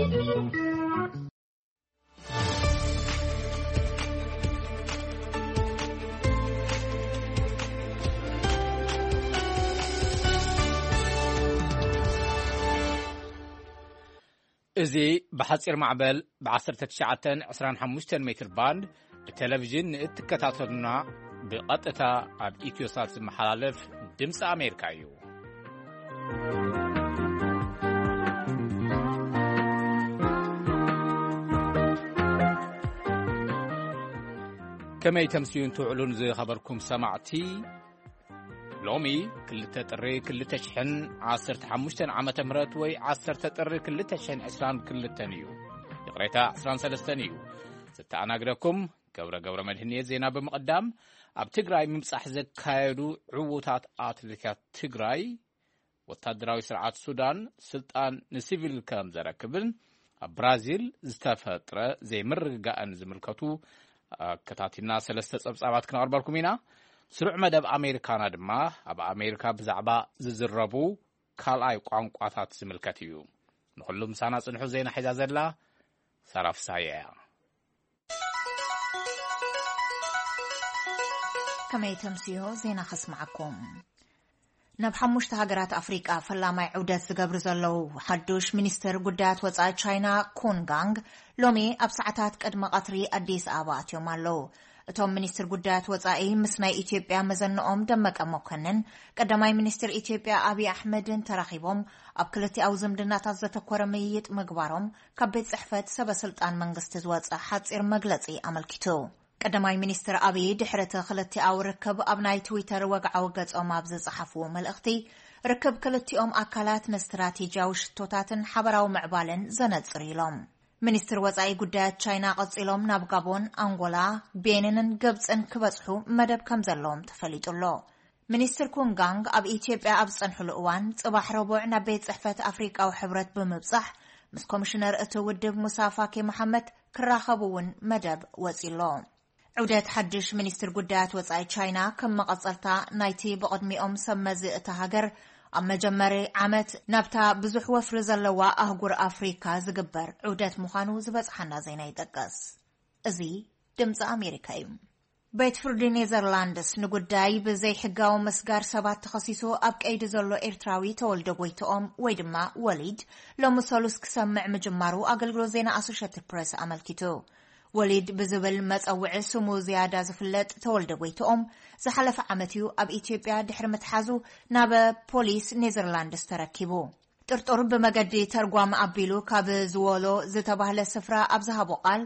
እዚ ብሓጺር ማዕበል ብ19 25 ሜትር ባንድ ብቴሌቪዥን ንእትከታተሉና ብቐጥታ ኣብ ኢትዮሳት ዝመሓላለፍ ድምፂ ኣሜሪካ እዩ። ከመይ ተምስዩን ትውዕሉን ዝኸበርኩም ሰማዕቲ? ሎሚ ክልተ ጥሪ ክልተ ሽሕን ዓሰርተ ሓሙሽተን ዓመተ ምህረት ወይ ዓሰርተ ጥሪ ክልተ ሽሕን ዕስራን ክልተን እዩ። ይቕሬታ፣ ዕስራን ሰለስተን እዩ። ዝተኣናግደኩም ገብረ ገብረ መድህን እየ። ዜና ብምቕዳም፣ ኣብ ትግራይ ምብጻሕ ዘካየዱ ዕዉታት ኣትሌታት ትግራይ፣ ወታደራዊ ስርዓት ሱዳን ስልጣን ንሲቪል ከም ዘረክብን ኣብ ብራዚል ዝተፈጥረ ዘይምርግጋእን ዝምልከቱ ኣከታቲልና ሰለስተ ጸብጻባት ክነቕርበልኩም ኢና። ስሩዕ መደብ ኣሜሪካና ድማ ኣብ ኣሜሪካ ብዛዕባ ዝዝረቡ ካልኣይ ቋንቋታት ዝምልከት እዩ። ንኹሉ ምሳና ጽንሑ። ዜና ሒዛ ዘላ ሳራ ፍሳየ እያ። ከመይ ተምስዮ ዜና ከስምዓኩም። ናብ ሓሙሽተ ሃገራት ኣፍሪቃ ፈላማይ ዑደት ዝገብሩ ዘለዉ ሓዱሽ ሚኒስትር ጉዳያት ወጻኢ ቻይና ኩን ጋንግ ሎሚ ኣብ ሰዓታት ቅድሚ ቀትሪ ኣዲስ ኣበባ ኣትዮም ኣለዉ። እቶም ሚኒስትር ጉዳያት ወጻኢ ምስ ናይ ኢትዮጵያ መዘንኦም ደመቀ መኮንን፣ ቀዳማይ ሚኒስትር ኢትዮጵያ ኣብይ ኣሕመድን ተራኺቦም ኣብ ክልቲኣዊ ዝምድናታት ዘተኮረ ምይይጥ ምግባሮም ካብ ቤት ጽሕፈት ሰበ ስልጣን መንግስቲ ዝወጸ ሓጺር መግለጺ ኣመልኪቱ። ቀዳማይ ሚኒስትር ኣብይ ድሕሪ እቲ ክልቲኣዊ ርክብ ኣብ ናይ ትዊተር ወግዓዊ ገጾም ኣብ ዝጸሓፍዎ መልእኽቲ፣ ርክብ ክልቲኦም ኣካላት ንስትራቴጂያዊ ሽቶታትን ሓበራዊ ምዕባለን ዘነጽር ኢሎም። ሚኒስትር ወጻኢ ጉዳያት ቻይና ቀጺሎም ናብ ጋቦን፣ ኣንጎላ፣ ቤኒንን ግብጽን ክበጽሑ መደብ ከም ዘለዎም ተፈሊጡ ኣሎ። ሚኒስትር ኩንጋንግ ኣብ ኢትዮጵያ ኣብ ዝጸንሕሉ እዋን፣ ጽባሕ ረቡዕ ናብ ቤት ጽሕፈት ኣፍሪቃዊ ሕብረት ብምብጻሕ ምስ ኮሚሽነር እቲ ውድብ ሙሳ ፋኪ መሓመድ ክራኸቡ እውን መደብ ወጺሎ። ዑደት ሓድሽ ሚኒስትር ጉዳያት ወጻኢ ቻይና ከም መቐጸልታ ናይቲ ብቕድሚኦም ሰብ መዚ እታ ሃገር ኣብ መጀመሪ ዓመት ናብታ ብዙሕ ወፍሪ ዘለዋ ኣህጉር ኣፍሪካ ዝግበር ዑደት ምዃኑ ዝበጽሓና ዜና ይጠቅስ። እዚ ድምፂ ኣሜሪካ እዩ። ቤት ፍርዲ ኔዘርላንድስ ንጉዳይ ብዘይሕጋዊ ምስጋር ሰባት ተኸሲሱ ኣብ ቀይዲ ዘሎ ኤርትራዊ ተወልደ ጎይትኦም ወይ ድማ ወሊድ ሎሚ ሰሉስ ክሰምዕ ምጅማሩ ኣገልግሎት ዜና ኣሶሼትድ ፕሬስ ኣመልኪቱ። ወሊድ ብዝብል መጸውዒ ስሙ ዝያዳ ዝፍለጥ ተወልደ ጎይትኦም ዝሓለፈ ዓመት እዩ ኣብ ኢትዮጵያ ድሕሪ ምትሓዙ ናብ ፖሊስ ኔዘርላንድስ ተረኪቡ። ጥርጡር ብመገዲ ተርጓም ኣቢሉ ካብ ዝወሎ ዝተባህለ ስፍራ ኣብ ዝሃቦ ቃል፣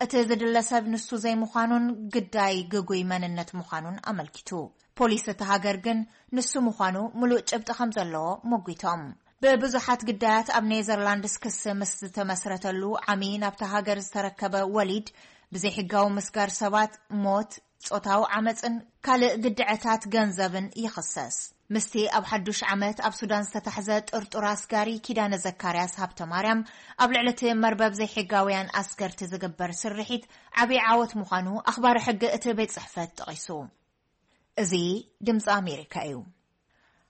እቲ ዝድለ ሰብ ንሱ ዘይምዃኑን ግዳይ ግጉይ መንነት ምዃኑን ኣመልኪቱ። ፖሊስ እቲ ሃገር ግን ንሱ ምዃኑ ምሉእ ጭብጢ ከም ዘለዎ ሞጒቶም። ብብዙሓት ግዳያት ኣብ ኔዘርላንድስ ክሲ ምስ ዝተመስረተሉ ዓሚ ናብቲ ሃገር ዝተረከበ ወሊድ፣ ብዘይሕጋዊ ምስጋር ሰባት፣ ሞት፣ ጾታዊ ዓመጽን ካልእ ግድዐታት ገንዘብን ይኽሰስ። ምስቲ ኣብ ሓዱሽ ዓመት ኣብ ሱዳን ዝተታሕዘ ጥርጡር ኣስጋሪ ኪዳነ ዘካርያስ ሃብተማርያም፣ ኣብ ልዕሊ እቲ መርበብ ዘይሕጋውያን ኣስገርቲ ዝግበር ስርሒት ዓቢ ዓወት ምዃኑ ኣኽባሪ ሕጊ እቲ ቤት ጽሕፈት ጠቒሱ። እዚ ድምፂ ኣሜሪካ እዩ።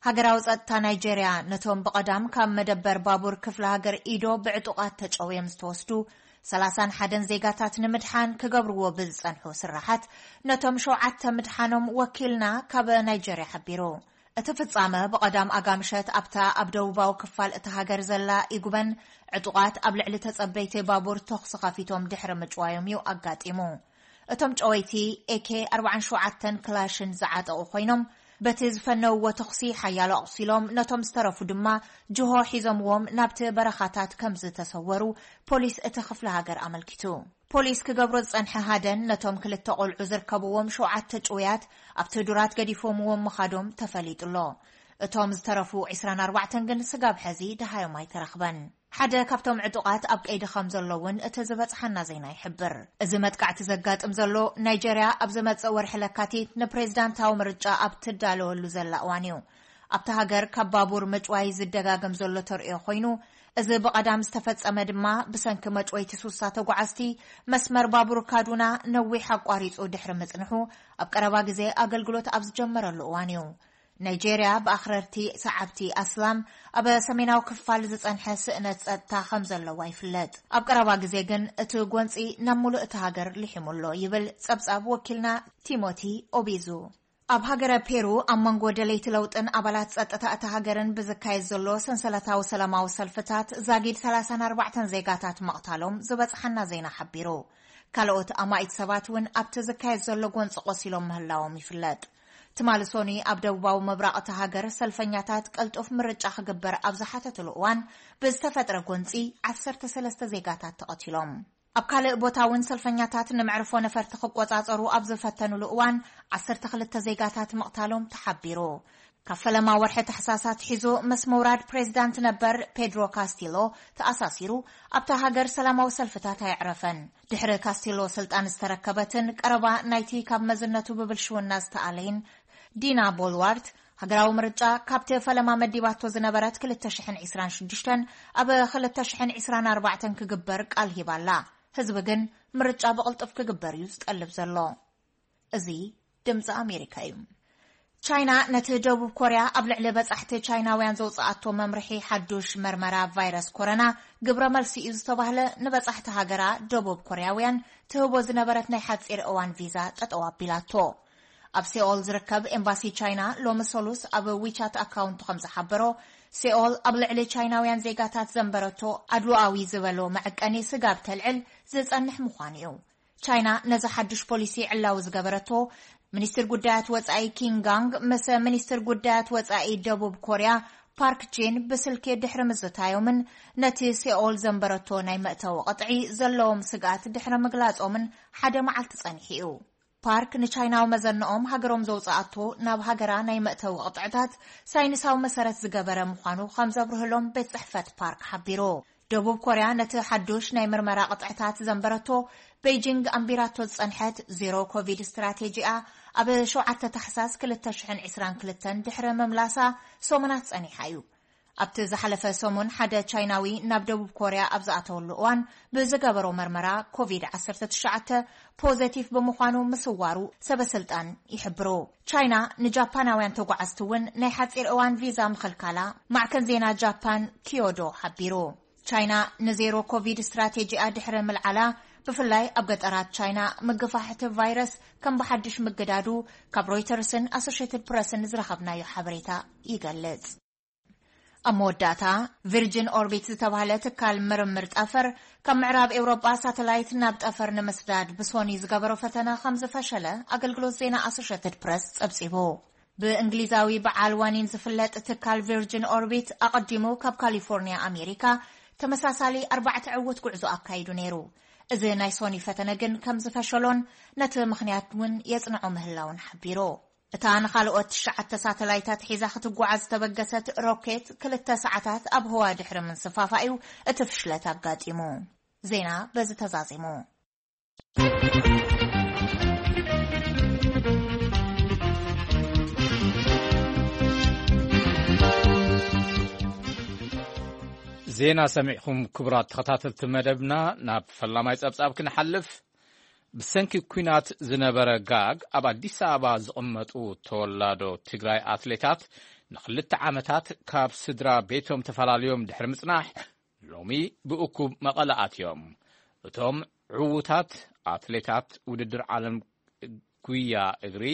ሃገራዊ ጸጥታ ናይጄርያ ነቶም ብቐዳም ካብ መደበር ባቡር ክፍለ ሃገር ኢዶ ብዕጡቓት ተጨውዮም ዝተወስዱ ሰላሳን ሓደን ዜጋታት ንምድሓን ክገብርዎ ብዝጸንሑ ስራሓት ነቶም ሸውዓተ ምድሓኖም ወኪልና ካብ ናይጄርያ ሓቢሩ። እቲ ፍጻመ ብቐዳም ኣጋምሸት ኣብታ ኣብ ደቡባዊ ክፋል እታ ሃገር ዘላ ኢጉበን ዕጡቓት ኣብ ልዕሊ ተጸበይቲ ባቡር ተኹሲ ከፊቶም ድሕሪ ምጭዋዮም እዩ ኣጋጢሙ። እቶም ጨወይቲ ኤኬ ኣርባዓን ሸውዓተን ክላሽን ዝዓጠቑ ኮይኖም፣ በቲ ዝፈነውዎ ተኹሲ ሓያሎ ኣቑሲሎም፣ ነቶም ዝተረፉ ድማ ጅሆ ሒዞምዎም ናብቲ በረኻታት ከም ዝተሰወሩ ፖሊስ እቲ ክፍለ ሃገር ኣመልኪቱ። ፖሊስ ክገብሮ ዝጸንሐ ሃደን ነቶም ክልተ ቆልዑ ዝርከብዎም ሸውዓተ ጭውያት ኣብቲ ዱራት ገዲፎምዎም ምኻዶም ተፈሊጡ ኣሎ። እቶም ዝተረፉ ዕስራን ኣርባዕተን ግን ስጋብ ሕዚ ደሃዮም ኣይተረኽበን። ሓደ ካብቶም ዕጡቓት ኣብ ቀይዲ ከም ዘሎ እውን እቲ ዝበጽሓና ዜና ይሕብር። እዚ መጥቃዕቲ ዘጋጥም ዘሎ ናይጀርያ ኣብ ዝመጽእ ወርሒ ለካቲት ንፕሬዝዳንታዊ ምርጫ ኣብ ትዳለወሉ ዘላ እዋን እዩ። ኣብታ ሃገር ካብ ባቡር ምጭዋይ ዝደጋገም ዘሎ ተርእዮ ኮይኑ፣ እዚ ብቐዳም ዝተፈጸመ ድማ ብሰንኪ መጭወይቲ ሱሳ ተጓዓዝቲ መስመር ባቡር ካዱና ነዊሕ ኣቋሪጹ ድሕሪ ምጽንሑ ኣብ ቀረባ ግዜ ኣገልግሎት ኣብ ዝጀመረሉ እዋን እዩ። ናይጄርያ ብኣኽረርቲ ሰዓብቲ ኣስላም ኣብ ሰሜናዊ ክፋል ዝጸንሐ ስእነት ጸጥታ ከም ዘለዋ ይፍለጥ። ኣብ ቀረባ ግዜ ግን እቲ ጎንጺ ናብ ሙሉእ እታ ሃገር ሊሒሙ ኣሎ ይብል ጸብጻብ ወኪልና ቲሞቲ ኦቢዙ። ኣብ ሃገረ ፔሩ ኣብ መንጎ ደለይቲ ለውጥን ኣባላት ጸጥታ እታ ሃገርን ብዝካየድ ዘሎ ሰንሰለታዊ ሰላማዊ ሰልፍታት ዛጊድ ሰላሳን ኣርባዕተን ዜጋታት ምቕታሎም ዝበጽሓና ዜና ሓቢሩ። ካልኦት ኣማኢት ሰባት እውን ኣብቲ ዝካየድ ዘሎ ጎንፂ ቆሲሎም ምህላዎም ይፍለጥ። ትማሊ ሶኒ ኣብ ደቡባዊ ምብራቕ እታ ሃገር ሰልፈኛታት ቀልጡፍ ምርጫ ክግበር ኣብ ዝሓተትሉ እዋን ብዝተፈጥረ ጎንፂ ዓሰርተ ሰለስተ ዜጋታት ተቐቲሎም። ኣብ ካልእ ቦታ እውን ሰልፈኛታት ንመዕርፎ ነፈርቲ ክቆጻጸሩ ኣብ ዝፈተኑሉ እዋን ዓሰርተ ክልተ ዜጋታት ምቕታሎም ተሓቢሩ። ካብ ፈለማ ወርሒ ታሕሳስ ኣትሒዙ ምስ ምውራድ ፕሬዚዳንት ነበር ፔድሮ ካስቲሎ ተኣሳሲሩ ኣብታ ሃገር ሰላማዊ ሰልፍታት ኣየዕረፈን። ድሕሪ ካስቲሎ ስልጣን ዝተረከበትን ቀረባ ናይቲ ካብ መዝነቱ ብብልሽውና ዝተኣለይን ዲና ቦልዋርት፣ ሃገራዊ ምርጫ ካብቲ ፈለማ መዲባቶ ዝነበረት ክልተ ሽሕን ዕስራን ሽዱሽተን ኣብ ክልተ ሽሕን ዕስራን ኣርባዕተን ክግበር ቃል ሂባ ኣላ። ህዝቢ ግን ምርጫ ብቕልጡፍ ክግበር እዩ ዝጠልብ ዘሎ። እዚ ድምፂ ኣሜሪካ እዩ። ቻይና ነቲ ደቡብ ኮርያ ኣብ ልዕሊ በጻሕቲ ቻይናውያን ዘውፅኣቶ መምርሒ ሓዱሽ መርመራ ቫይረስ ኮሮና ግብረ መልሲ እዩ ዝተባህለ ንበጻሕቲ ሃገራ ደቡብ ኮርያውያን ትህቦ ዝነበረት ናይ ሓፂር እዋን ቪዛ ጠጠው ኣቢላቶ። ኣብ ሴኦል ዝርከብ ኤምባሲ ቻይና ሎሚ ሰሉስ ኣብ ዊቻት ኣካውንቱ ከም ዝሓበሮ፣ ሴኦል ኣብ ልዕሊ ቻይናውያን ዜጋታት ዘንበረቶ ኣድሎኣዊ ዝበሎ መዐቀኒ ስጋብ ተልዕል ዝጸንሕ ምዃኑ እዩ። ቻይና ነዚ ሓድሽ ፖሊሲ ዕላዊ ዝገበረቶ፣ ሚኒስትር ጉዳያት ወጻኢ ኪንጋንግ ምስ ሚኒስትር ጉዳያት ወጻኢ ደቡብ ኮርያ ፓርክ ጂን ብስልኪ ድሕሪ ምዝታዮምን ነቲ ሴኦል ዘንበረቶ ናይ መእተዊ ቅጥዒ ዘለዎም ስግኣት ድሕሪ ምግላጾምን ሓደ መዓልቲ ጸኒሑ እዩ። ፓርክ ንቻይናዊ መዘንኦም ሃገሮም ዘውጽኣቶ ናብ ሃገራ ናይ መእተዊ ቅጥዕታት ሳይንሳዊ መሰረት ዝገበረ ምዃኑ ከም ዘብርህሎም ቤት ጽሕፈት ፓርክ ሓቢሩ። ደቡብ ኮርያ ነቲ ሓዱሽ ናይ ምርመራ ቅጥዕታት ዘንበረቶ፣ ቤይጂንግ ኣንቢራቶ ዝጸንሐት ዜሮ ኮቪድ ስትራቴጂኣ ኣብ ሸውዓተ ታሕሳስ ክልተ ሽሕን ዕስራን ክልተን ድሕሪ ምምላሳ ሰሙናት ጸኒሓ እዩ። ኣብቲ ዝሓለፈ ሰሙን ሓደ ቻይናዊ ናብ ደቡብ ኮርያ ኣብ ዝኣተወሉ እዋን ብዝገበሮ መርመራ ኮቪድ ዓሰርተ ትሽዓተ ፖዘቲቭ ብምዃኑ ምስዋሩ ሰበ ስልጣን ይሕብሩ። ቻይና ንጃፓናውያን ተጓዓዝቲ እውን ናይ ሓፂር እዋን ቪዛ ምኽልካላ ማዕከን ዜና ጃፓን ኪዮዶ ሓቢሩ። ቻይና ንዜሮ ኮቪድ ስትራቴጂኣ ድሕሪ ምልዓላ፣ ብፍላይ ኣብ ገጠራት ቻይና ምግፋሕ እቲ ቫይረስ ከም ብሓድሽ ምግዳዱ ካብ ሮይተርስን ኣሶሼትድ ፕረስን ዝረኸብናዮ ሓበሬታ ይገልጽ። ኣብ መወዳእታ፣ ቪርጅን ኦርቢት ዝተባህለ ትካል ምርምር ጠፈር፣ ካብ ምዕራብ ኤውሮጳ ሳተላይት ናብ ጠፈር ንምስዳድ ብሶኒ ዝገበሮ ፈተነ ከም ዝፈሸለ ኣገልግሎት ዜና ኣሶሼትድ ፕረስ ጸብጺቡ። ብእንግሊዛዊ በዓል ዋኒን ዝፍለጥ ትካል ቪርጅን ኦርቢት ኣቐዲሙ ካብ ካሊፎርኒያ ኣሜሪካ ተመሳሳሊ ኣርባዕተ ዕዉት ጉዕዞ ኣካይዱ ነይሩ። እዚ ናይ ሶኒ ፈተነ ግን ከም ዝፈሸሎን ነቲ ምኽንያት እውን የጽንዖ ምህላውን ሓቢሩ። እታ ንኻልኦት ትሽዓተ ሳተላይታት ሒዛ ክትጓዓዝ ዝተበገሰት ሮኬት ክልተ ሰዓታት ኣብ ህዋ ድሕሪ ምንስፋፋ'ዩ እቲ ፍሽለት ኣጋጢሙ። ዜና በዚ ተዛዚሙ። ዜና ሰሚዕኹም ክቡራት ተኸታተልቲ መደብና፣ ናብ ፈላማይ ጸብጻብ ክንሓልፍ። ብሰንኪ ኲናት ዝነበረ ጋግ ኣብ ኣዲስ ኣበባ ዝቕመጡ ተወላዶ ትግራይ ኣትሌታት ንኽልተ ዓመታት ካብ ስድራ ቤቶም ተፈላልዮም ድሕሪ ምጽናሕ፣ ሎሚ ብእኩብ መቐለ ኣትዮም። እቶም ዕዉታት ኣትሌታት ውድድር ዓለም ጉያ እግሪ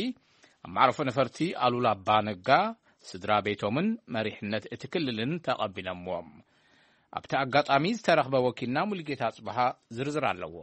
ኣብ መዕረፎ ነፈርቲ ኣሉላ ኣባነጋ ስድራ ቤቶምን መሪሕነት እቲ ክልልን ተቐቢሎምዎም። ኣብቲ ኣጋጣሚ ዝተረኽበ ወኪልና ሙሉጌታ ኣጽብሃ ዝርዝር ኣለዎ።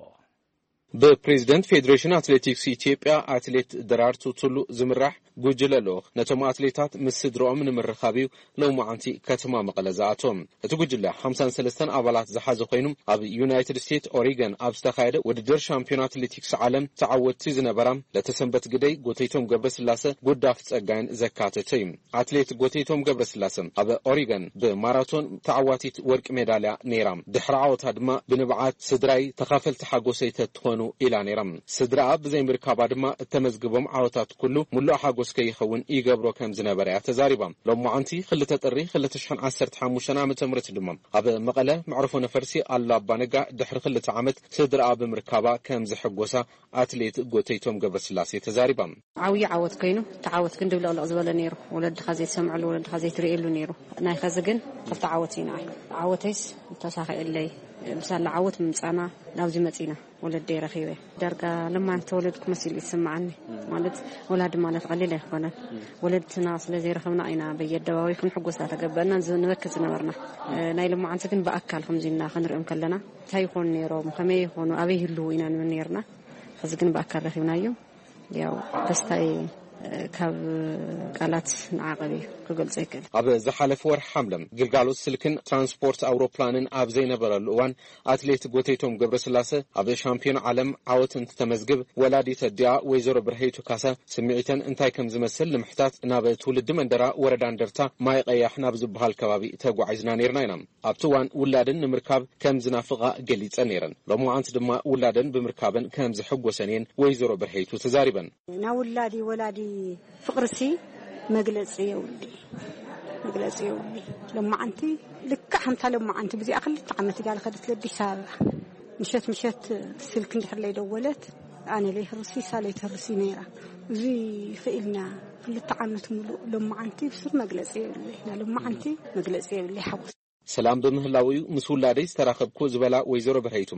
ብፕሬዝደንት ፌዴሬሽን ኣትሌቲክስ ኢትዮጵያ ኣትሌት ደራርቱ ቱሉ ዝምራሕ ጉጅለ ልኡኽ ነቶም ኣትሌታት ምስ ስድርኦም ንምርኻብ እዩ ሎማዓንቲ ከተማ መቐለ ዝኣቶም። እቲ ጉጅለ ሓምሳን ሰለስተን ኣባላት ዝሓዘ ኮይኑ፣ ኣብ ዩናይትድ ስቴትስ ኦሪገን ኣብ ዝተኻየደ ውድድር ሻምፒዮን ኣትሌቲክስ ዓለም ተዓወትቲ ዝነበራ ለተሰንበት ግደይ፣ ጎተይቶም ገብረስላሰ፣ ጉዳፍ ጸጋይን ዘካተተ እዩ። ኣትሌት ጎተይቶም ገብረስላሰ ኣብ ኦሪገን ብማራቶን ተዓዋቲት ወርቂ ሜዳልያ ነይራ። ድሕሪ ዓወታ ድማ ብንብዓት ስድራይ ተኻፈልቲ ሓጎሰይ ተትኾኑ ኢላ ነይራ። ስድራኣ ብዘይምርካባ ድማ እተመዝግቦም ዓወታት ኩሉ ሙሉእ ሓጎስ ከይኸውን ይገብሮ ከም ዝነበረ እያ ተዛሪባ። ሎማዓንቲ ክልተ ጥሪ ክልተ ሽሕን ዓሰርተ ሓሙሽተን ዓመተ ምህረት ድማ ኣብ መቐለ መዕርፎ ነፈርቲ ኣሉላ ኣባነጋ ድሕሪ ክልተ ዓመት ስድራኣ ብምርካባ ከም ዝሕጎሳ ኣትሌት ጎተይቶም ገብረስላሴ ተዛሪባ። ዓብዪ ዓወት ኮይኑ፣ እቲ ዓወት ግን ድብልቕልቕ ዝበለ ነይሩ። ወለድኻ ዘይትሰምዐሉ፣ ወለድኻ ዘይትርእየሉ ነይሩ። ናይ ኸዚ ግን ክልተ ዓወት ኢና። ዓወተይስ ተሳኺዕለይ፣ ብሳላ ዓወት ምምፃና ናብዚ መፂና። ወለደይ ረኺበ። ዳርጋ ለማን ተወለድኩ መሲሉ ይስምዓኒ። ማለት ወላዲ ማለት ቀሊል ኣይኮነን። ወለድትና ስለ ዘይረኸብና ኢና በየኣደባባይ ክንሕጎስ ተገብአና ዝ-፣ ንበኪ ዝነበርና። እ፣ ናይ ለማዓንቲ ግን ብኣካል ከምዚ ኢልና ክንሪኦም ከለና እንታይ ይኾኑ ነይሮም፣ ከመይ ይኾኑ፣ ኣበይ ይህልዉ ኢና ንብል ነይርና። ሕዚ ግን ብኣካል ረኺብናዮም። ያው ደስታይ፣ እ፣ ካብ ቃላት ንዓቐብ እዩ ክገልጾ ይክእል። ኣብ ዝሓለፈ ወርሒ ሓምለ ግልጋሎት ስልክን ትራንስፖርት ኣውሮፕላንን ኣብ ዘይነበረሉ እዋን ኣትሌት ጎተይቶም ገብረስላሰ ኣብ ሻምፒዮን ዓለም ዓወት እንትተመዝግብ፣ ወላዲት ኣዲኣ ወይዘሮ ብርሀይቱ ካሳ ስምዒተን እንታይ ከም ዝመስል ንምሕታት ናብ ትውልዲ መንደራ ወረዳ እንደርታ ማይ ቀያሕ ናብ ዝበሃል ከባቢ ተጓዒዝና ነይርና ኢና። ኣብቲ እዋን ውላደን ንምርካብ ከም ዝናፍቓ ገሊጸን ነይረን። ሎማዓንቲ ድማ ውላደን ብምርካበን ከም ዝሕጎሰን እየን ወይዘሮ ብርሀይቱ ተዛሪበን። ናብ ውላዲ ወላዲ ፍቕርሲ መግለጺ የብሉይ፣ መግለጺ የብሉይ። ሎማዓንቲ ልክዕ ከምታ ሎማዓንቲ ብዚኣ ክልተ ዓመት እያ ዝኸደት ለኣዲስ ኣበባ። ምሸት ምሸት ስልክ እንድሕር ለይደወለት ኣነ ለይህርሲ እሳ ለይትህርሲ ነይራ። እዚ ክኢልና ክልተ ዓመት ሙሉእ ሎማዓንቲ ብሱር መግለጺ የብሉይ። ና ሎማዓንቲ መግለጺ የብሉይ ሓጎስ። ሰላም ብምህላው እዩ ምስ ውላደይ ዝተራኸብኩ ዝበላ ወይዘሮ ብርሀይቱ፣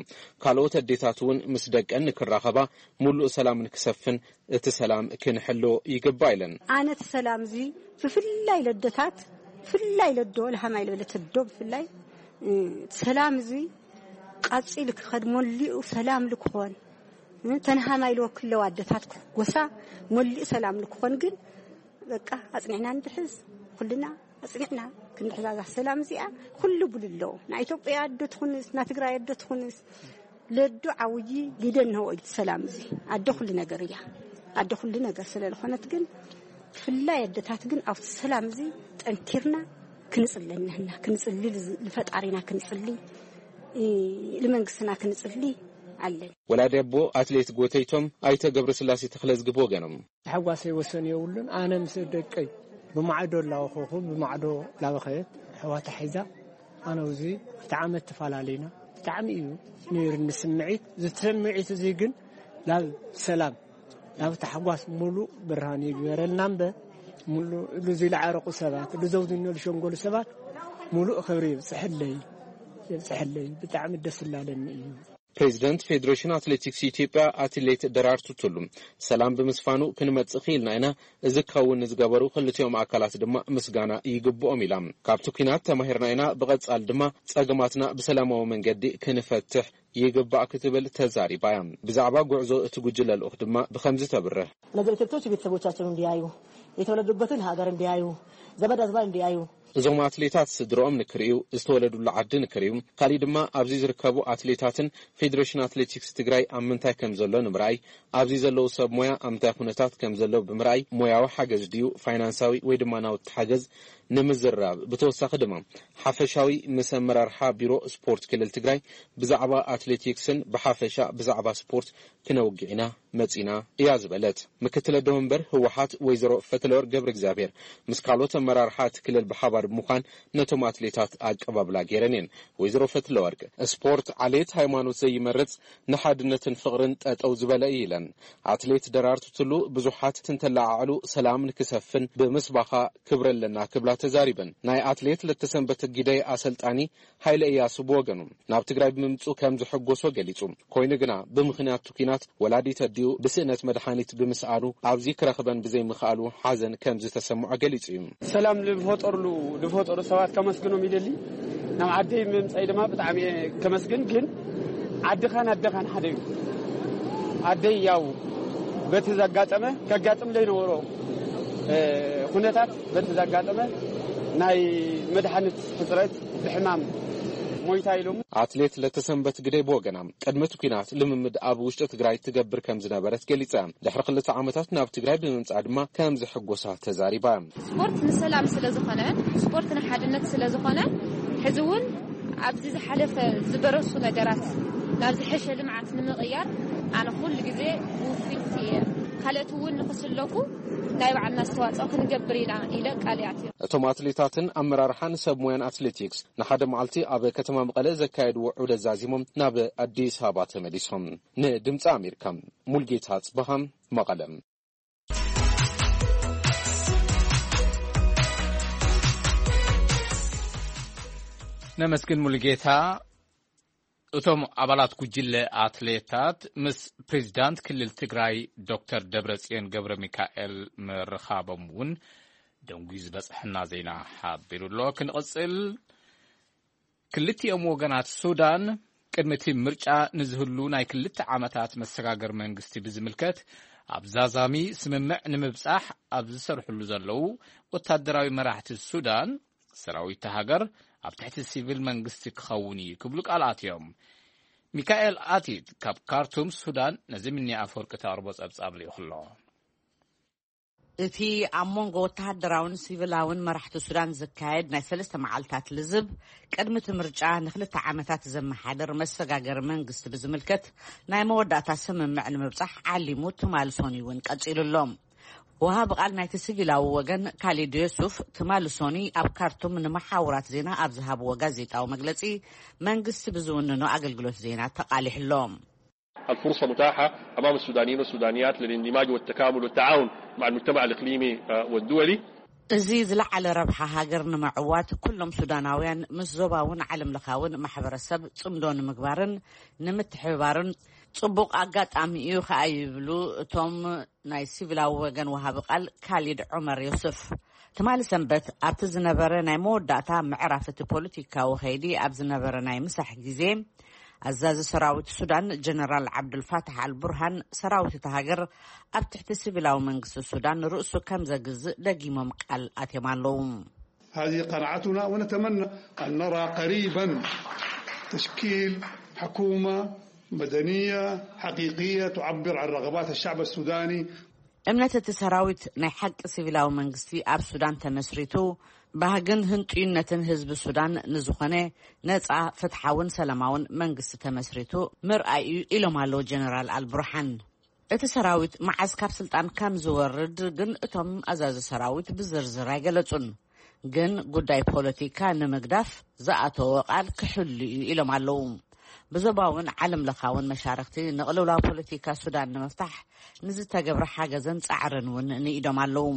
ካልኦት ኣዴታት እውን ምስ ደቀን ንክራኸባ፣ ሙሉእ ሰላም ንክሰፍን እቲ ሰላም ክንሕሎ ይግባእ ኢለን። ኣነ እቲ ሰላም እዚ ብፍላይ ለደታት፣ ብፍላይ ለዶ ለሃማይ ለበለት ዶ ብፍላይ፣ እ፣ ሰላም እዚ ቀጺሉ ክኸድ፣ መሊኡ ሰላም ልክኾን፣ እ፣ ተንሃማይ ለወክለዋ ኣደታት ክሕጎሳ፣ መሊኡ ሰላም ልክኾን ግን በቃ ኣጽኒዕና እንድሕዝ፣ ኩልና ኣጽኒዕና ክንድሕዛዛ ሰላም እዚኣ ኩሉ ብሉ ኣለዎ። ናይ ኢትዮጵያ ኣዶ ትኹንስ፣ ናይ ትግራይ ኣዶ ትኹንስ፣ ለዶ ዓውዪ ሊደ እንሆ እዩ ሰላም እዚ። ኣዶ ኩሉ ነገር እያ። ኣዶ ኩሉ ነገር ስለ ዝኾነት ግን፣ ብፍላይ ኣደታት ግን ኣብቲ ሰላም እዚ ጠንኪርና ክንጽሊ እኒህና። ክንጽሊ፣ ንፈጣሪና ክንጽሊ፣ እ፣ ንመንግስትና ክንጽሊ ኣለን። ወላዲ ኣቦ ኣትሌት ጎተይቶም ኣይተ ገብረስላሴ ተኽለዝጊ ብወገኖም፣ ተሓጓሰይ ወሰን የብሉን። ኣነ ምስ ደቀይ ብማዕዶ ላወኸኹ፣ ብማዕዶ ላበኸየት ኣሕዋታ ሒዛ፣ ኣነ ውዚ ክልተ ዓመት ተፈላለዩና። ብጣዕሚ እዩ ነይሩኒ ስምዒት። እዚ ስምዒት እዚ ግን ናብ ሰላም፣ ናብ ታሕጓስ ሙሉእ ብርሃን ይግበረልና እምበር፣ ሙሉእ እሉ ዝለዓረቁ ሰባት፣ እሉ ዘውዝኖ ዝሸንጎሉ ሰባት ሙሉእ ክብሪ ይብፅሐለይ፣ ይብፅሐለይ። ብጣዕሚ ደስ እላለኒ እዩ። ፕሬዚደንት ፌዴሬሽን ኣትሌቲክስ ኢትዮጵያ ኣትሌት ደራርቱ ቱሉ፣ ሰላም ብምስፋኑ ክንመጽእ ክኢልና ኢና፣ እዚ ክኸውን ንዝገበሩ ክልቲኦም ኣካላት ድማ ምስጋና ይግብኦም ኢላ። ካብቲ ኲናት ተማሂርና ኢና፣ ብቐጻሊ ድማ ጸገማትና ብሰላማዊ መንገዲ ክንፈትሕ ይግባእ ክትብል ተዛሪባ እያ። ብዛዕባ ጉዕዞ እቲ ጉጅለ ልኡኽ ድማ ብኸምዚ ተብርህ። እነዚህ አትሌቶች ቤተሰቦቻቸውን እንዲያዩ፣ የተወለዱበትን ሀገር እንዲያዩ፣ ዘመድ አዝማድ እንዲያዩ፣ እዞም ኣትሌታት ስድርኦም ንክርእዩ፣ ዝተወለዱሉ ዓዲ ንክርእዩ፣ ካሊእ ድማ ኣብዚ ዝርከቡ ኣትሌታትን ፌዴሬሽን ኣትሌቲክስ ትግራይ ኣብ ምንታይ ከም ዘሎ ንምርኣይ፣ ኣብዚ ዘለዉ ሰብ ሞያ ኣብ ምንታይ ኩነታት ከም ዘለዉ ብምርኣይ ሞያዊ ሓገዝ ድዩ ፋይናንሳዊ ወይ ድማ ናውቲ ሓገዝ ንምዝርራብ፣ ብተወሳኺ ድማ ሓፈሻዊ ምስ ኣመራርሓ ቢሮ ስፖርት ክልል ትግራይ ብዛዕባ ኣትሌቲክስን ብሓፈሻ ብዛዕባ ስፖርት ክነውግዕ ኢና መጺና እያ ዝበለት። ምክትል ኣደ መንበር ህወሓት ወይዘሮ ፈትለወርቅ ገብረ እግዚኣብሔር ምስ ካልኦት ኣመራርሓ እቲ ክልል ብሓባር ብምዃን ነቶም ኣትሌታት ኣቀባብላ ገይረን እየን። ወይዘሮ ፈትለወርቅ፣ ስፖርት ዓሌት ሃይማኖት ዘይመርጽ ንሓድነትን ፍቕርን ጠጠው ዝበለ እዩ ኢለን። ኣትሌት ደራርቱ ቱሉ ብዙሓት እንትለዓዕሉ ሰላም ንክሰፍን ብምስባኻ ክብሪ ኣለና ክብላ ተዛሪበን። ናይ ኣትሌት ለተሰንበት ግደይ ኣሰልጣኒ ሃይለ እያሱ ብወገኑ ናብ ትግራይ ብምምፅኡ ከም ዘሐጎሶ ገሊፁ። ኮይኑ ግና ብምኽንያት እቲ ኲናት ወላዲት ኣዲኡ ብስእነት መድሓኒት ብምስኣኑ ኣብዚ ክረኽበን ብዘይምኽኣሉ ሓዘን ከም ዝተሰምዖ ገሊፁ እዩ። ሰላም ልፈጠርሉ፣ ልፈጠሩ ሰባት ከመስግኖም ይደሊ። ናብ ዓደይ ምምፃይ ድማ ብጣዕሚ እየ ከመስግን። ግን ዓድኻን ኣደኻን ሓደ እዩ። ኣደይ ያው በቲ ዘጋጠመ፣ ከጋጥም ዘይነበሮ፣ እ፣ ኩነታት በቲ ዘጋጠመ ናይ መድሓኒት ሕፅረት ብሕማም ሞይታ ኢሎም። ኣትሌት ለተሰንበት ግደይ ብወገና፣ ቅድሚ እቲ ኲናት ልምምድ ኣብ ውሽጢ ትግራይ ትገብር ከም ዝነበረት ገሊጻ። ድሕሪ ክልተ ዓመታት ናብ ትግራይ ብምምጻእ ድማ ከም ዘሐጎሳ ተዛሪባ። ስፖርት ንሰላም ስለ ዝኾነ፣ ስፖርት ንሓድነት ስለ ዝኾነ፣ ሕዚ እውን ኣብዚ ዝሓለፈ ዝበረሱ ነገራት ናብ ዝሐሸ ልምዓት ንምቕያር ኣነ ኩሉ ግዜ ውፍይቲ እየ። ካልኦት እውን ንክስለፉ ናይ ባዕልና ኣስተዋፅኦ ክንገብር ኢና ኢለ ቃል ይኣትዮ። እቶም ኣትሌታትን ኣመራርሓን ሰብ ሞያን ኣትሌቲክስ ንሓደ መዓልቲ ኣብ ከተማ መቐለ ዘካየድዎ ዑደት ዛዚሞም ናብ ኣዲስ ኣበባ ተመሊሶም። ንድምፂ ኣሜሪካ፣ ሙልጌታ ጽበሃ፣ መቐለ። ነመስግን ሙሉጌታ። እቶም ኣባላት ጉጅለ ኣትሌታት ምስ ፕሬዚዳንት ክልል ትግራይ ዶክተር ደብረጽዮን ገብረ ሚካኤል ምርኻቦም እውን ደንጉዩ ዝበጽሐና ዜና ሓቢሩ ኣሎ። ክንቕጽል። ክልቲኦም ወገናት ሱዳን ቅድሚ እቲ ምርጫ ንዝህሉ ናይ ክልተ ዓመታት መሰጋገር መንግስቲ ብዝምልከት ኣብ ዛዛሚ ስምምዕ ንምብጻሕ ኣብ ዝሰርሕሉ ዘለዉ ወታደራዊ መራሕቲ ሱዳን፣ ሰራዊት እታ ሃገር ኣብ ትሕቲ ሲቪል መንግስቲ ክኸውን እዩ ክብሉ ቃል ኣትዮም። ሚካኤል ኣቲት ካብ ካርቱም ሱዳን ነዚ ምኒ ኣፈወርቂ ተቕርቦ ጸብጻብ ልኢኹ ኣሎ። እቲ ኣብ መንጎ ወተሃደራውን ሲቪላውን መራሕቲ ሱዳን ዝካየድ ናይ ሰለስተ መዓልታት ልዝብ፣ ቅድሚ እቲ ምርጫ ንክልተ ዓመታት ዘመሓድር መሰጋገሪ መንግስቲ ብዝምልከት ናይ መወዳእታ ስምምዕ ንምብጻሕ ዓሊሙ ትማል ሶኒ እውን ቀጺሉ ኣሎ። ወሃቢ ቃል ናይቲ ሲቪላዊ ወገን ካሊድ ዮሱፍ ትማል ሶኒ ኣብ ካርቱም ንመሓውራት ዜና ኣብ ዝሃብዎ ጋዜጣዊ መግለጺ፣ መንግስቲ ብዝውንኖ ኣገልግሎት ዜና ተቓሊሑ ኣሎ። الفرصة متاحة أمام السودانيين والسودانيات للاندماج والتكامل والتعاون مع المجتمع الإقليمي والدولي. እዚ ዝለዓለ ረብሓ ሃገር ንምዕዋት ኩሎም ሱዳናውያን ምስ ዞባውን ዓለም ለኻውን ማሕበረሰብ ጽምዶ ንምግባርን ንምትሕብባርን ጽቡቕ ኣጋጣሚ እዩ ከኣ ይብሉ እቶም ናይ ሲቪላዊ ወገን ወሃቢ ቃል ካሊድ ዑመር ዮስፍ። ትማሊ ሰንበት ኣብቲ ዝነበረ ናይ መወዳእታ ምዕራፍ እቲ ፖለቲካዊ ከይዲ ኣብ ዝነበረ ናይ ምሳሕ ግዜ፣ ኣዛዚ ሰራዊት ሱዳን ጀነራል ዓብዱልፋታሕ ኣልቡርሃን ሰራዊት እታ ሃገር ኣብ ትሕቲ ሲቪላዊ መንግስቲ ሱዳን ርእሱ ከም ዘግዝእ ደጊሞም ቃል ኣትዮም ኣለዉ። هذه قناعتنا ونتمنى أن نرى قريبا تشكيل حكومة مدنية حقيقية تعبر عن رغبات الشعب السوداني. እምነት እቲ ሰራዊት ናይ ሓቂ ሲቪላዊ መንግስቲ ኣብ ሱዳን ተመስሪቱ ባህግን ህንጡይነትን ህዝቢ ሱዳን ንዝኾነ ነፃ፣ ፍትሓውን ሰላማውን መንግስቲ ተመስሪቱ ምርኣይ እዩ ኢሎም ኣለዉ ጀነራል ኣልቡርሓን። እቲ ሰራዊት መዓዝ ካብ ስልጣን ከም ዝወርድ ግን እቶም ኣዛዚ ሰራዊት ብዝርዝር ኣይገለጹን። ግን ጉዳይ ፖለቲካ ንምግዳፍ ዝኣተዎ ቃል ክሕሉ እዩ ኢሎም ኣለዉ። ብዞባውን ዓለም ለኻውን መሻርክቲ ንቕልውላው ፖለቲካ ሱዳን ንምፍታሕ ንዝተገብረ ሓገዘን ጻዕርን እውን ንኢዶም ኣለዉ።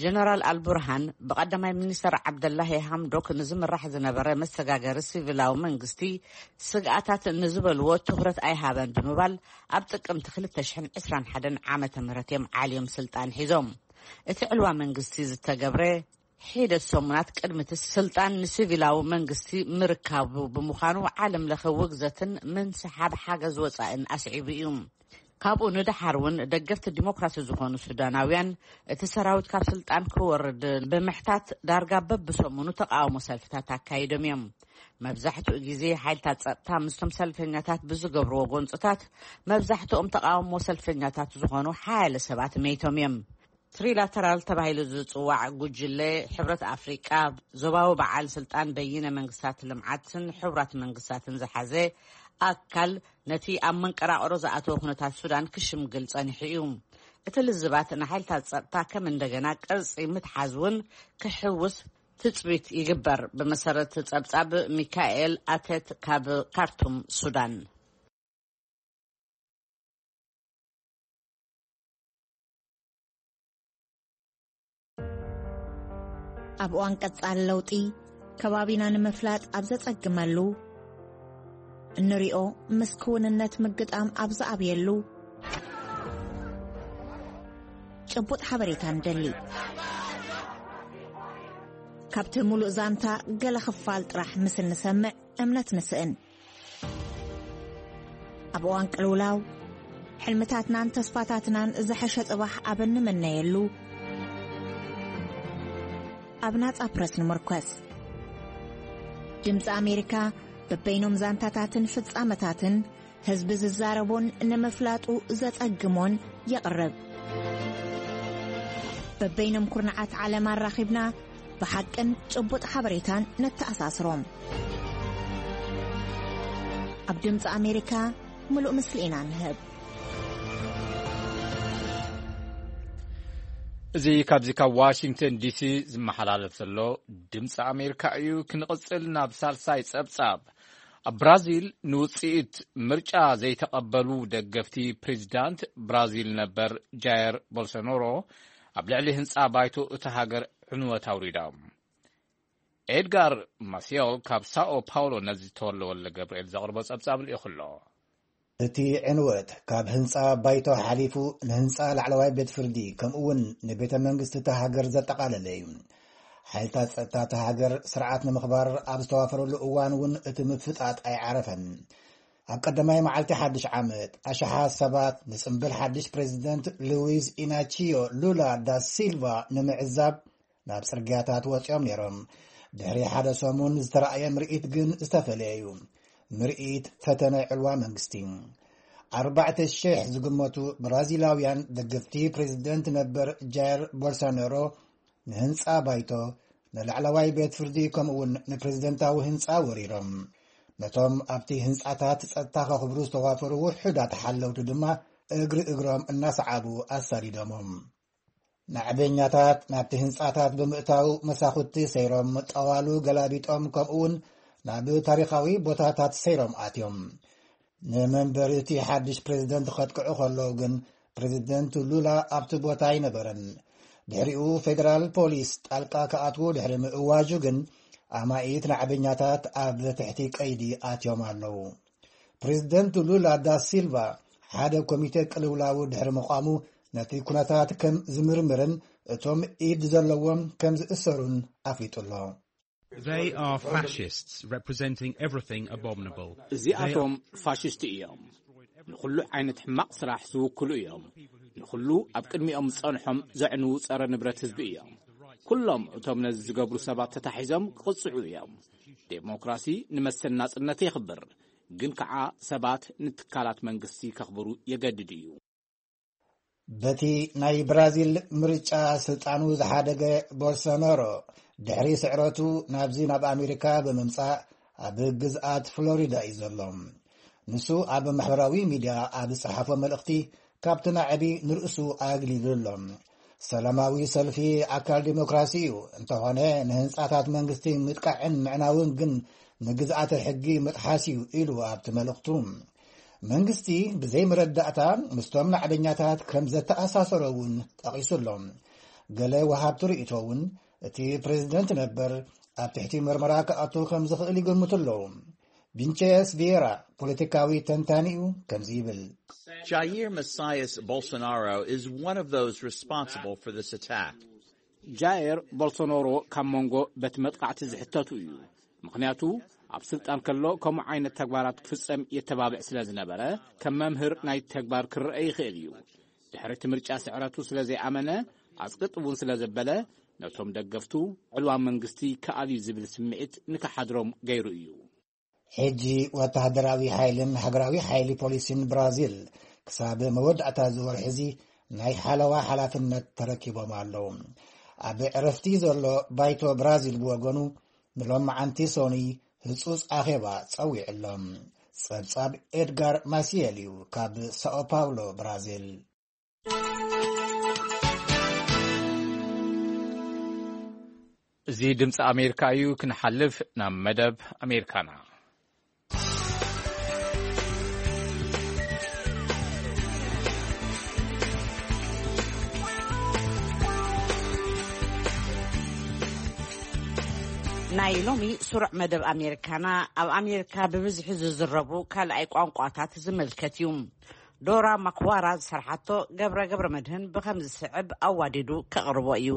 ጀነራል ኣልቡርሃን ብቐዳማይ ሚኒስተር ዓብደላሂ ሃምዶክ ንዝምራሕ ዝነበረ መሰጋገሪ ሲቪላዊ መንግስቲ ስግኣታት ንዝበልዎ ትኹረት ኣይሃበን ብምባል ኣብ ጥቅምቲ ክልተ ሽሕን ዕስራን ሓደን ዓመተ ምህረት እዮም ዓልዮም ስልጣን ሒዞም። እቲ ዕልዋ መንግስቲ ዝተገብረ ሒደት ሰሙናት ቅድሚ እቲ ስልጣን ንሲቪላዊ መንግስቲ ምርካቡ ብምዃኑ ዓለም ለኸ ውግዘትን ምንስሓብ ሓገዝ ወፃእን ኣስዒቡ እዩ። ካብኡ ንደሓር እውን ደገፍቲ ዲሞክራሲ ዝኾኑ ሱዳናውያን እቲ ሰራዊት ካብ ስልጣን ክወርድ ብምሕታት ዳርጋ በብሰሙኑ ተቃውሞ ሰልፍታት ኣካይዶም እዮም። መብዛሕትኡ ግዜ ሓይልታት ጸጥታ ምስቶም ሰልፈኛታት ብዝገብርዎ ጎንፅታት መብዛሕትኦም ተቃውሞ ሰልፈኛታት ዝኾኑ ሓያለ ሰባት መይቶም እዮም። ትሪላተራል ተባሂሉ ዝጽዋዕ ጉጅለ ሕብረት ኣፍሪቃ፣ ዞባዊ በዓል ስልጣን በይነ መንግስታት ልምዓትን ሕቡራት መንግስታትን ዝሓዘ ኣካል ነቲ ኣብ መንቀራቕሮ ዝኣተወ ኩነታት ሱዳን ክሽምግል ጸኒሑ እዩ። እቲ ልዝባት ንሓይልታት ጸጥታ ከም እንደገና ቅርጺ ምትሓዝ እውን ክሕውስ ትጽቢት ይግበር። ብመሰረት ጸብጻብ ሚካኤል ኣተት ካብ ካርቱም ሱዳን። ኣብ እዋን ቀጻሊ ለውጢ ከባቢና ንምፍላጥ ኣብ ዘጸግመሉ፣ እንሪኦ ምስ ክውንነት ምግጣም ኣብ ዝኣብየሉ፣ ጭቡጥ ሓበሬታ ንደሊ። ካብቲ ሙሉእ ዛንታ ገለ ክፋል ጥራሕ ምስ እንሰምዕ እምነት ንስእን። ኣብ እዋን ቅልውላው፣ ሕልምታትናን ተስፋታትናን ዝሐሸ ጽባሕ ኣብ እንምነየሉ፣ ኣብ ናጻ ፕረስ ንምርኮስ። ድምጺ ኣሜሪካ በበይኖም ዛንታታትን ፍጻመታትን ህዝቢ ዝዛረቦን ንምፍላጡ ዘጸግሞን የቕርብ። በበይኖም ኩርናዓት ዓለም ኣራኺብና ብሓቅን ጭቡጥ ሓበሬታን ነተኣሳስሮም። ኣብ ድምፂ ኣሜሪካ ምሉእ ምስሊ ኢና ንህብ። እዚ ካብዚ ካብ ዋሽንግተን ዲሲ ዝመሓላለፍ ዘሎ ድምፂ ኣሜሪካ እዩ። ክንቕፅል ናብ ሳልሳይ ፀብፃብ። ኣብ ብራዚል ንውፅኢት ምርጫ ዘይተቐበሉ ደገፍቲ ፕሬዚዳንት ብራዚል ነበር ጃየር ቦልሶናሮ ኣብ ልዕሊ ህንፃ ባይቶ እታ ሃገር ዕንወት ኣውሪዶም። ኤድጋር ማሲዮል ካብ ሳኦ ፓውሎ ነዚ ተወልደ ወልደ ገብርኤል ዘቕርቦ ጸብጻብ ልኢኹ ኣሎ። እቲ ዕንወት ካብ ህንጻ ባይቶ ሓሊፉ ንህንጻ ላዕለዋይ ቤት ፍርዲ ከምኡ እውን ንቤተ መንግስቲ እታ ሃገር ዘጠቓለለ እዩ። ሓይልታት ጸጥታ እታ ሃገር ስርዓት ንምኽባር ኣብ ዝተዋፈረሉ እዋን እውን እቲ ምፍጣጥ ኣይዓረፈን። ኣብ ቀዳማይ መዓልቲ ሓድሽ ዓመት ኣሽሓት ሰባት ንጽምብል ሓድሽ ፕሬዚደንት ሉዊዝ ኢናቺዮ ሉላ ዳ ሲልቫ ንምዕዛብ ናብ ጽርግያታት ወጺኦም ነይሮም። ድሕሪ ሓደ ሰሙን ዝተራእየ ምርኢት ግን ዝተፈለየ እዩ። ምርኢት ፈተነ ዕልዋ መንግስቲ። ኣርባዕተ ሽሕ ዝግመቱ ብራዚላውያን ደገፍቲ ፕሬዚደንት ነበር ጃየር ቦልሶናሮ ንህንጻ ባይቶ፣ ንላዕለዋይ ቤት ፍርዲ ከምኡውን ንፕሬዚደንታዊ ህንጻ ወሪሮም። ነቶም ኣብቲ ህንጻታት ጸጥታ ከኽብሩ ዝተዋፈሩ ውሑዳት ሓለውቲ ድማ እግሪ እግሮም እናሰዓቡ ኣሳዲዶሞም። ናዕበኛታት ናብቲ ህንጻታት ብምእታው መሳኹቲ ሰይሮም፣ ጠዋሉ ገላቢጦም፣ ከምኡውን ናብ ታሪኻዊ ቦታታት ሰይሮም ኣትዮም። ንመንበሪ እቲ ሓድሽ ፕሬዚደንት ከጥቅዑ ከለዉ ግን ፕሬዚደንት ሉላ ኣብቲ ቦታ ኣይነበረን። ድሕሪኡ ፌደራል ፖሊስ ጣልቃ ክኣትዉ ድሕሪ ምእዋጁ ግን ኣማኢት ናዕበኛታት ኣብ ትሕቲ ቀይዲ ኣትዮም ኣለዉ። ፕሬዚደንት ሉላ ዳ ሲልቫ ሓደ ኮሚቴ ቅልውላው ድሕሪ ምቋሙ ነቲ ኩነታት ከም ዝምርምርን እቶም ኢድ ዘለዎም ከም ዝእሰሩን ኣፍሊጡ ኣሎ። They are fascists representing everything abominable. እዚኣቶም ፋሽስት እዮም። ንኹሉ ዓይነት ሕማቕ ስራሕ ዝውክሉ እዮም። ንኹሉ ኣብ ቅድሚኦም ዝጸንሖም ዘዕንዉ ጸረ ንብረት ህዝቢ እዮም። ኩሎም እቶም ነዚ ዝገብሩ ሰባት ተታሒዞም ክቕጽዑ እዮም። ዴሞክራሲ ንመሰል ናጽነት የኽብር፣ ግን ከኣ ሰባት ንትካላት መንግስቲ ከኽብሩ የገድድ እዩ። በቲ ናይ ብራዚል ምርጫ ስልጣኑ ዝሓደገ ቦልሶናሮ ድሕሪ ስዕረቱ ናብዚ ናብ ኣሜሪካ ብምምጻእ ኣብ ግዝኣት ፍሎሪዳ እዩ ዘሎ። ንሱ ኣብ ማሕበራዊ ሚድያ ኣብ ዝጸሓፎ መልእኽቲ ካብቲ ናዕቢ ንርእሱ ኣግሊሉ ኣሎ። ሰላማዊ ሰልፊ ኣካል ዲሞክራሲ እዩ፣ እንተኾነ ንህንጻታት መንግስቲ ምጥቃዕን ምዕናውን ግን ንግዝኣተ ሕጊ ምጥሓስ እዩ ኢሉ ኣብቲ መልእኽቱ። መንግስቲ ብዘይ መረዳእታ ምስቶም ናዕበኛታት ከም ዘተኣሳሰሮ እውን ጠቒሱ ኣሎ። ገለ ወሃብቲ ርእይቶ እውን እቲ ፕሬዚደንት ነበር ኣብ ትሕቲ መርመራ ክኣቱ ከም ዝኽእል ይገምቱ ኣለዉ። ቪንቸስ ቪየራ ፖለቲካዊ ተንታኒ እዩ፣ ከምዚ ይብል። Jair Messias Bolsonaro is one of those responsible for this attack. ጃየር ቦልሶኖሮ ካብ መንጎ በቲ መጥቃዕቲ ዝሕተቱ እዩ። ምኽንያቱ ኣብ ስልጣን ከሎ ከምኡ ዓይነት ተግባራት ክፍጸም የተባብዕ ስለ ዝነበረ፣ ከም መምህር ናይ ተግባር ክረአ ይኽእል እዩ። ድሕሪ እቲ ምርጫ ስዕረቱ ስለ ዘይኣመነ፣ ኣጽቅጥ እውን ስለ ዘበለ፣ ነቶም ደገፍቱ ዕልዋ መንግስቲ ክኣል እዩ ዝብል ስምዒት ንክሓድሮም ገይሩ እዩ። ሕጂ ወተሃደራዊ ሓይልን ሃገራዊ ሓይሊ ፖሊስን ብራዚል ክሳብ መወዳእታ እዚ ወርሒ እዚ ናይ ሓለዋ ሓላፍነት ተረኪቦም ኣለዉ። ኣብ ዕረፍቲ ዘሎ ባይቶ ብራዚል ብወገኑ ንሎማዓንቲ ሶኒ ህጹጽ ኣኼባ ጸዊዑ ኣሎ። ጸብጻብ ኤድጋር ማሲየል እዩ ካብ ሳኦ ፓውሎ ብራዚል። እዚ ድምፂ ኣሜሪካ እዩ። ክንሓልፍ ናብ መደብ ኣሜሪካና። ናይ ሎሚ ስሩዕ መደብ ኣሜሪካና ኣብ ኣሜሪካ ብብዝሒ ዝዝረቡ ካልኣይ ቋንቋታት ዝምልከት እዩ። ዶራ ማክዋራ ዝሰርሓቶ ገብረ ገብረ መድህን ብኸም ዝስዕብ ኣዋዲዱ ከቕርቦ እዩ።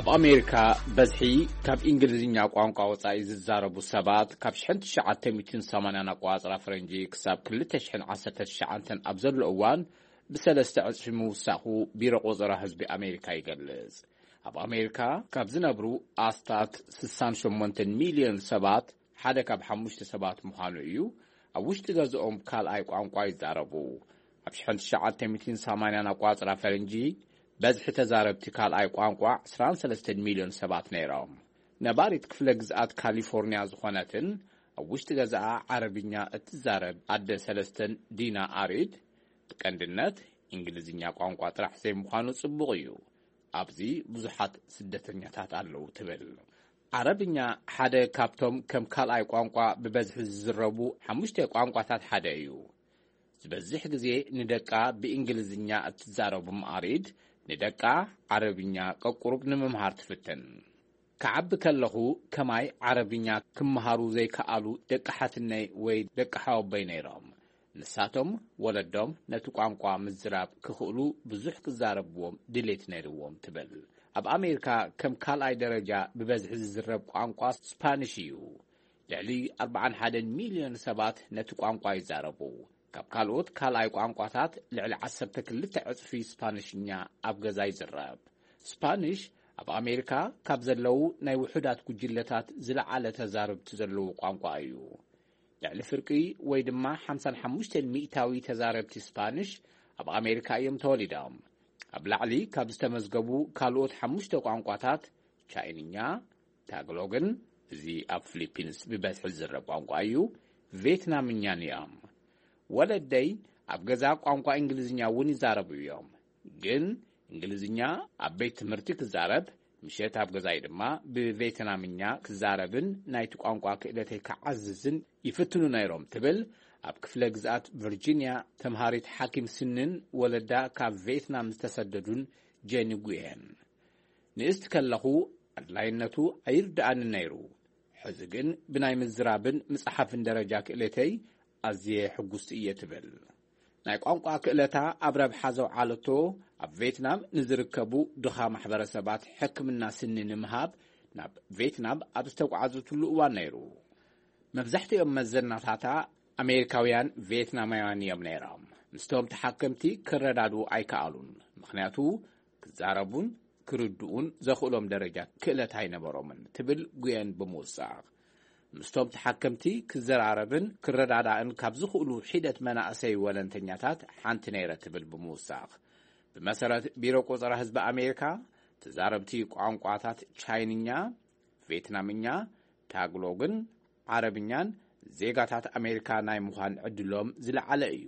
ኣብ ኣሜሪካ በዝሒ ካብ እንግሊዝኛ ቋንቋ ወጻኢ ዝዛረቡ ሰባት ካብ ሽሕን ትሽዓተ ሚእትን ሰማንያን ኣቆጻጽራ ፈረንጂ ክሳብ ክልተ ሽሕን ዓሰርተ ትሽዓተን ኣብ ዘሎ እዋን ብሰለስተ ዕጽፊ ምውሳኹ ቢሮ ቆጸራ ህዝቢ ኣሜሪካ ይገልጽ። ኣብ ኣሜሪካ ካብ ዝነብሩ ኣስታት ስሳን ሸሞንተን ሚልዮን ሰባት ሓደ ካብ ሓሙሽተ ሰባት ምዃኑ እዩ። ኣብ ውሽጢ ገዝኦም ካልኣይ ቋንቋ ይዛረቡ። ኣብ ሽሕን ትሽዓተ ሚእትን ሰማንያን ኣቋጽራ ፈረንጂ በዝሒ ተዛረብቲ ካልኣይ ቋንቋ ዕስራን ሰለስተን ሚልዮን ሰባት ነይሮም። ነባሪት ክፍለ ግዝኣት ካሊፎርኒያ ዝኾነትን ኣብ ውሽጢ ገዛኣ ዓረብኛ እትዛረብ ኣደ ሰለስተን ዲና ኣሪድ፣ ብቀንድነት እንግሊዝኛ ቋንቋ ጥራሕ ዘይምዃኑ ጽቡቕ እዩ፣ ኣብዚ ብዙሓት ስደተኛታት ኣለዉ ትብል። ዓረብኛ ሓደ ካብቶም ከም ካልኣይ ቋንቋ ብበዝሒ ዝዝረቡ ሓሙሽተ ቋንቋታት ሓደ እዩ። ዝበዝሕ ግዜ ንደቃ ብእንግሊዝኛ እትዛረቡ ኣሪድ፣ ንደቃ ዓረብኛ ቀቁሩብ ንምምሃር ትፍትን። ክዓቢ ከለኹ ከማይ ዓረብኛ ክመሃሩ ዘይከኣሉ ደቂ ሓትነይ ወይ ደቂ ሓወቦይ ነይሮም። ንሳቶም ወለዶም ነቲ ቋንቋ ምዝራብ ክኽእሉ ብዙሕ ክዛረብዎም ድሌት ነይርዎም ትብል። ኣብ ኣሜሪካ ከም ካልኣይ ደረጃ ብበዝሒ ዝዝረብ ቋንቋ ስፓኒሽ እዩ። ልዕሊ ኣርብዓን ሓደን ሚልዮን ሰባት ነቲ ቋንቋ ይዛረቡ። ካብ ካልኦት ካልኣይ ቋንቋታት ልዕሊ ዓሰርተ ክልተ ዕጽፊ ስፓኒሽኛ ኣብ ገዛ ይዝረብ። ስፓኒሽ ኣብ ኣሜሪካ ካብ ዘለዉ ናይ ውሑዳት ጉጅለታት ዝለዓለ ተዛረብቲ ዘለዉ ቋንቋ እዩ። ልዕሊ ፍርቂ ወይ ድማ ሓምሳን ሓሙሽተን ሚእታዊ ተዛረብቲ ስፓኒሽ ኣብ ኣሜሪካ እዮም ተወሊዶም። ኣብ ላዕሊ ካብ ዝተመዝገቡ ካልኦት ሓሙሽተ ቋንቋታት ቻይንኛ፣ ታግሎግን፣ እዚ ኣብ ፊሊፒንስ ብበዝሒ ዝዝረብ ቋንቋ እዩ፣ ቬትናምኛን እዮም። ወለደይ ኣብ ገዛ ቋንቋ እንግሊዝኛ እውን ይዛረቡ እዮም፣ ግን እንግሊዝኛ ኣብ ቤት ትምህርቲ ክዛረብ፣ ምሸት ኣብ ገዛይ ድማ ብቬትናምኛ ክዛረብን ናይቲ ቋንቋ ክእለተይ ክዓዝዝን ይፍትኑ ነይሮም ትብል ኣብ ክፍለ ግዝኣት ቨርጂንያ ተምሃሪት ሓኪም ስንን ወለዳ ካብ ቬትናም ዝተሰደዱን ጄኒ ጉየን። ንእስቲ ከለኹ ኣድላይነቱ ኣይርድኣንን ነይሩ። ሕዚ ግን ብናይ ምዝራብን ምጽሓፍን ደረጃ ክእለተይ ኣዝየ ሕጉስቲ እየ ትብል። ናይ ቋንቋ ክእለታ ኣብ ረብሓ ዘውዓለቶ ኣብ ቬትናም ንዝርከቡ ድኻ ማሕበረሰባት ሕክምና ስኒ ንምሃብ ናብ ቬትናም ኣብ ዝተጓዓዘትሉ እዋን ነይሩ። መብዛሕትኦም መዘናታታ ኣሜሪካውያን ቬትናማውያን እዮም ነይሮም። ምስቶም ተሓከምቲ ክረዳድኡ ኣይከኣሉን፣ ምኽንያቱ ክዛረቡን ክርድኡን ዘኽእሎም ደረጃ ክእለት ኣይነበሮምን ትብል ጉየን ብምውሳኽ። ምስቶም ተሓከምቲ ክዘራረብን ክረዳዳእን ካብ ዝኽእሉ ሒደት መናእሰይ ወለንተኛታት ሓንቲ ነይረ ትብል ብምውሳኽ። ብመሰረት ቢሮ ቆጸራ ህዝቢ ኣሜሪካ፣ ተዛረብቲ ቋንቋታት ቻይንኛ፣ ቬትናምኛ፣ ታግሎግን ዓረብኛን ዜጋታት ኣሜሪካ ናይ ምዃን ዕድሎም ዝለዓለ እዩ።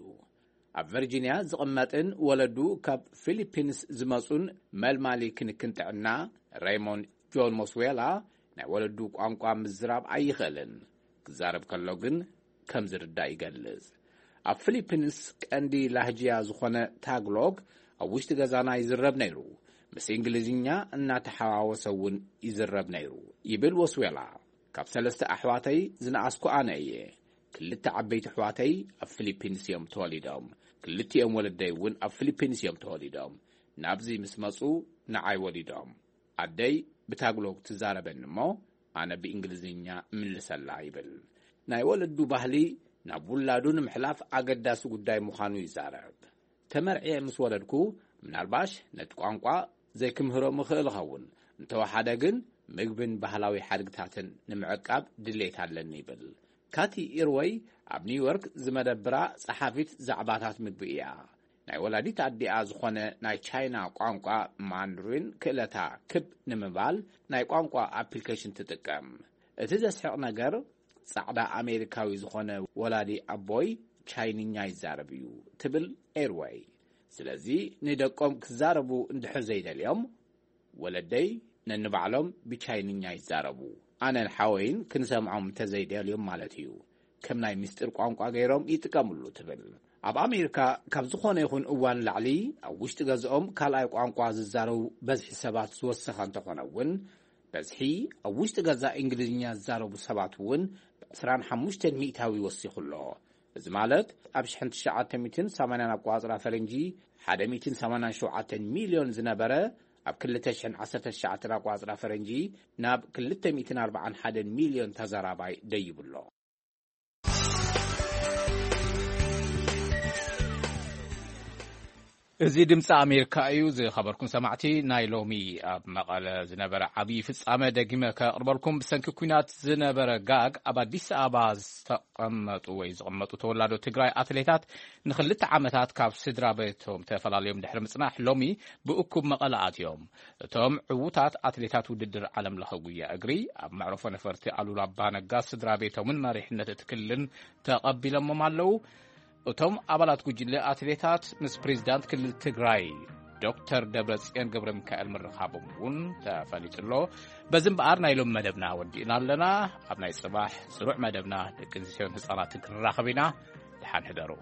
ኣብ ቨርጂንያ ዝቕመጥን ወለዱ ካብ ፊሊፒንስ ዝመጹን መልማሊ ክንክን ጥዕና ሬይሞንድ ጆን ሞስዌላ ናይ ወለዱ ቋንቋ ምዝራብ ኣይኽእልን። ክዛረብ ከሎ ግን ከም ዝርዳእ ይገልጽ። ኣብ ፊሊፒንስ ቀንዲ ላህጅያ ዝኾነ ታግሎግ ኣብ ውሽጢ ገዛና ይዝረብ ነይሩ። ምስ እንግሊዝኛ እናተሓዋወሰ እውን ይዝረብ ነይሩ ይብል ወስዌላ። ካብ ሰለስተ ኣሕዋተይ ዝነኣስኩ ኣነ እየ። ክልተ ዓበይቲ ኣሕዋተይ ኣብ ፊሊፒንስ እዮም ተወሊዶም። ክልቲኦም ወለደይ እውን ኣብ ፊሊፒንስ እዮም ተወሊዶም። ናብዚ ምስ መጹ ንዓይ ወሊዶም። ኣደይ ብታግሎግ ትዛረበኒ እሞ ኣነ ብእንግሊዝኛ እምልሰላ ይብል። ናይ ወለዱ ባህሊ ናብ ውላዱ ንምሕላፍ ኣገዳሲ ጉዳይ ምዃኑ ይዛረብ። ተመርዕየ ምስ ወለድኩ ምናልባሽ ነቲ ቋንቋ ዘይክምህሮም እኽእል እኸውን፣ እንተወሓደ ግን ምግብን ባህላዊ ሓድግታትን ንምዕቃብ ድሌት ኣለኒ ይብል። ካቲ ኢርወይ ኣብ ኒውዮርክ ዝመደብራ ጸሓፊት ዛዕባታት ምግቢ እያ። ናይ ወላዲት ኣዲኣ ዝኾነ ናይ ቻይና ቋንቋ ማንድሪን ክእለታ ክብ ንምባል ናይ ቋንቋ ኣፕሊኬሽን ትጥቀም። እቲ ዘስሕቕ ነገር፣ ጻዕዳ ኣሜሪካዊ ዝኾነ ወላዲ ኣቦይ ቻይንኛ ይዛረብ እዩ ትብል ኤርወይ። ስለዚ ንደቆም ክዛረቡ እንድሕር ዘይደልዮም፣ ወለደይ ነንባዕሎም ብቻይንኛ ይዛረቡ። ኣነን ሓወይን ክንሰምዖም እንተዘይደልዮም ማለት እዩ። ከም ናይ ምስጢር ቋንቋ ገይሮም ይጥቀምሉ ትብል። ኣብ ኣሜሪካ ካብ ዝኾነ ይኹን እዋን ላዕሊ ኣብ ውሽጢ ገዝኦም ካልኣይ ቋንቋ ዝዛረቡ በዝሒ ሰባት ዝወሰኸ እንተኾነ እውን፣ በዝሒ ኣብ ውሽጢ ገዛ እንግሊዝኛ ዝዛረቡ ሰባት እውን ብ ዕስራን ሓሙሽተን ሚእታዊ ወሲኹ ኣሎ። እዚ ማለት ኣብ ሽሕን ትሽዓተ ሚእትን ሰማንያን ኣቋጽራ ፈረንጂ ሓደ ሚእትን ሰማንያን ሸውዓተን ሚልዮን ዝነበረ፣ ኣብ ክልተ ሽሕን ዓሰርተ ትሽዓተን ኣቋጽራ ፈረንጂ ናብ ክልተ ሚእትን ኣርባዓን ሓደን ሚልዮን ተዘራባይ ደይቡ ኣሎ። እዚ ድምፂ ኣሜሪካ እዩ። ዝኸበርኩም ሰማዕቲ፣ ናይ ሎሚ ኣብ መቐለ ዝነበረ ዓብዪ ፍጻመ ደጊመ ከቕርበልኩም። ብሰንኪ ኲናት ዝነበረ ጋግ ኣብ ኣዲስ ኣበባ ዝተቐመጡ ወይ ዝቕመጡ ተወላዶ ትግራይ ኣትሌታት ንኽልተ ዓመታት ካብ ስድራ ቤቶም ተፈላለዮም ድሕሪ ምጽናሕ፣ ሎሚ ብእኩብ መቐለ ኣትዮም። እቶም ዕዉታት ኣትሌታት ውድድር ዓለም ለኸ ጉያ እግሪ ኣብ መዕረፎ ነፈርቲ ኣሉላ ኣባነጋ ስድራ ቤቶምን መሪሕነት እቲ ክልልን ተቐቢሎሞም ኣለዉ። እቶም ኣባላት ጉጅለ ኣትሌታት ምስ ፕሬዚዳንት ክልል ትግራይ ዶክተር ደብረጽዮን ገብረ ሚካኤል ምርኻቦም እውን ተፈሊጡ ኣሎ። በዚ እምበኣር ናይ ሎም መደብና ወዲእና ኣለና። ኣብ ናይ ጽባሕ ስሩዕ መደብና ደቂ ኣንስትዮን ህጻናትን ክንራኸብ ኢና። ደሓን ሕደሩ።